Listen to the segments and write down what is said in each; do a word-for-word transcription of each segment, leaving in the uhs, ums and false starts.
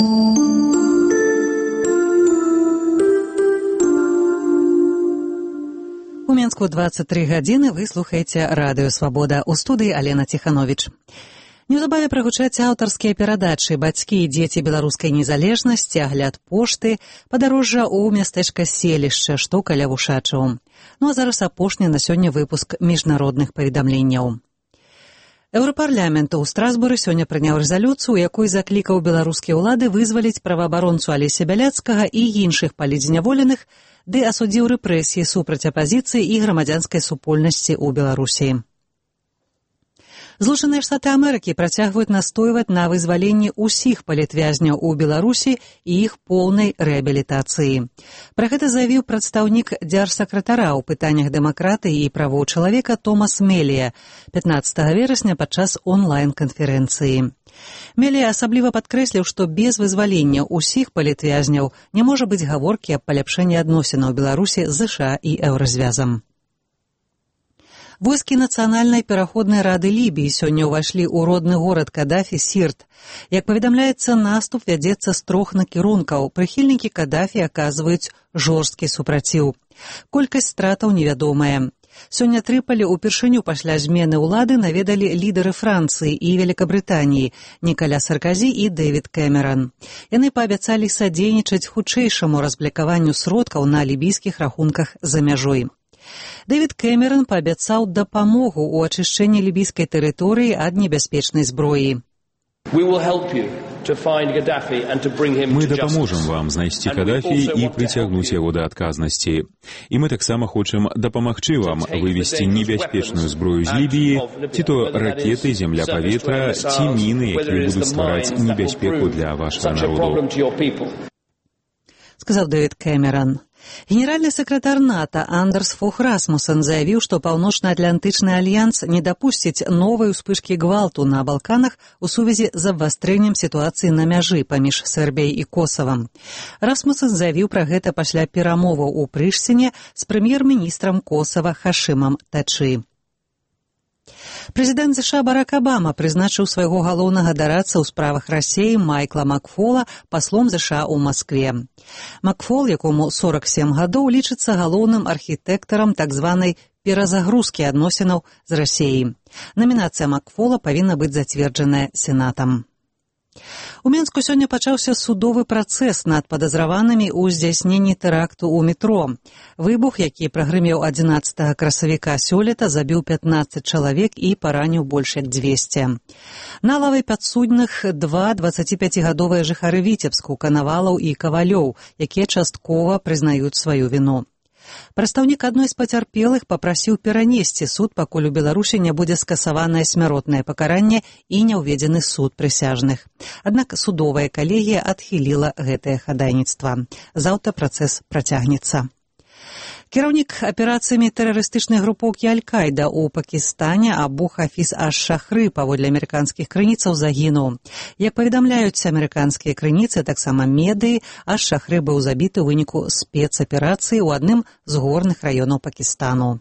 У Мінску двадцять три гадзіны, вы слухаеце радыё «Свабода». У студыі Алена Ціхановіч. Неўзабаве прагучаць аўтарскія перадачы «Бацькі і дзеці беларускай незалежнасці», «Агляд пошты», «Падарожжа ў мястэчка селішча», што каля Вушачаў. Ну а зараз апошні на сёння выпуск міжнародных паведамленняў. Еўрапарламент у Страсбуры сёння прыняў рэзалюцыю, у якой заклікаў беларускія ўлады вызваліць праваабаронцу Алеся Бяляцкага і іншых палітзняволеных, ды асудзіў рэпрэсіі супраць апазіцыі і грамадзянскай супольнасці ў Беларусі. Злучаныя Штаты Амерыкі працягваюць настойваць на вызваленні ўсіх палітвязняў у Беларусі і іх поўнай рэабілітацыі. Пра гэта заявіў прадстаўнік дзяржсакратара ў пытаннях дэмакратыі і правоў чалавека Томас Мелія пятнаццатага верасня падчас онлайн-канферэнцыі. Мелія асабліва падкрэсліў, што без вызвалення ўсіх палітвязняў не можа быць гаворкі аб паляпшэнні адносінаў Беларусі з ЗША і Еўразвязам. Войскі Нацыянальнай пераходнай рады Лібіі сёння ўвайшлі ў родны горад Кадафі Сірт. Як паведамляецца, наступ вядзецца з трох накірункаў. Прыхільнікі Кадафі аказваюць жорсткі супраціў. Колькасць стратаў невядомая. Сёння Трыполі ўпершыню пасля змены ўлады наведалі лідары Францыі і Великабрытаніі Нікаля Сарказі і Дэвід Кэмеран. Яны паабяцалі садзейнічаць хутчэйшаму разблакаванню сродкаў на лібійскіх рахунках за мяжой. Дэвід Кэмеран паабяцаў дапамогу ў ачышчэнні лібійскай тэрыторыі ад небяспечнай зброі. Мы дапаможам вам знайсці Кадафі і прыцягнуць яго да адказнасці. І мы таксама хочам дапамагчы вам вывесці небяспечную зброю з Лібіі, ці то ракеты, земля-паветра, ці міны, якія будуць ствараць небяспеку для вашага народу. Сказаў Дэвід Кэмеран. Генеральны сакратар НАТО Андерс Фог Расмуссен заявіў, што Паўночна-Атлантычны альянс не дапусціць новай успышкі гвалту на Балканах у сувязі з абвастрэннем сітуацыі на мяжы паміж Сербіяй і Косавам. Расмуссен заявіў пра гэта пасля перамоваў у Прыштіне з прэм'ер-міністрам Косава Хашымам Тачы. Прэзідэнт ЗША Барак Абама прызначыў свайго галоўнага дарадца ў справах Расеі Майкла Макфола паслом ЗША ў Маскве. Макфол, якому сорак сем гадоў, лічыцца галоўным архітэктарам так званай перазагрузкі адносінаў з Расеяй. Намінацыя Макфола павінна быць зацверджаная Сенатам. У Мінску сёння пачаўся судовы працэс над падазраванымі ў здзяйсненні тэракту ў метро. Выбух, які прагрымеў адзінаццатага красавіка сёлета, забіў пятнаццаць чалавек і параніў больш як дзвесце. На лаве падсудных два дваццаціпяцігадовыя жыхары Віцебску, Канавалаў і Кавалёў, якія часткова прызнаюць сваю віну. Прадстаўнік адной з пацярпелых папрасіў перанесці суд, пакуль у Беларусі не будзе скасаванае смяротнае пакаранне і не ўведзены суд прысяжных. Аднак судовая калегія адхіліла гэтае хадайніцтва. Заўтра працэс працягнецца. Кіраўнік аперацыямі тэрарыстычнай групоўкі Аль-Каіда ў Пакістане Абу Хафіз аш-Шахры, паводле амерыканскіх крыніцаў, загінуў. Як паведамляюць амерыканскія крыніцы, таксама медыі, аш-Шахры быў забіты ў выніку спецаперацыі ў адным з горных раёнаў Пакістану.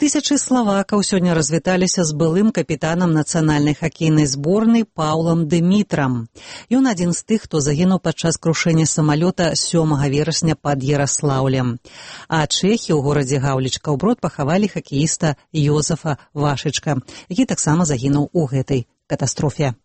Тысячы славакаў сёння развіталіся з былым капітанам нацыянальнай хакейнай зборнай Паўлам Дымітрам. Ён адзін з тых, хто загінуў падчас крушэння самалёта сёмага верасня пад Яраслаўлем. А чэхі ў горадзе Гаўлічка-ў-Брод пахавалі хакеіста Йозафа Вашычка, які таксама загінуў у гэтай катастрофе.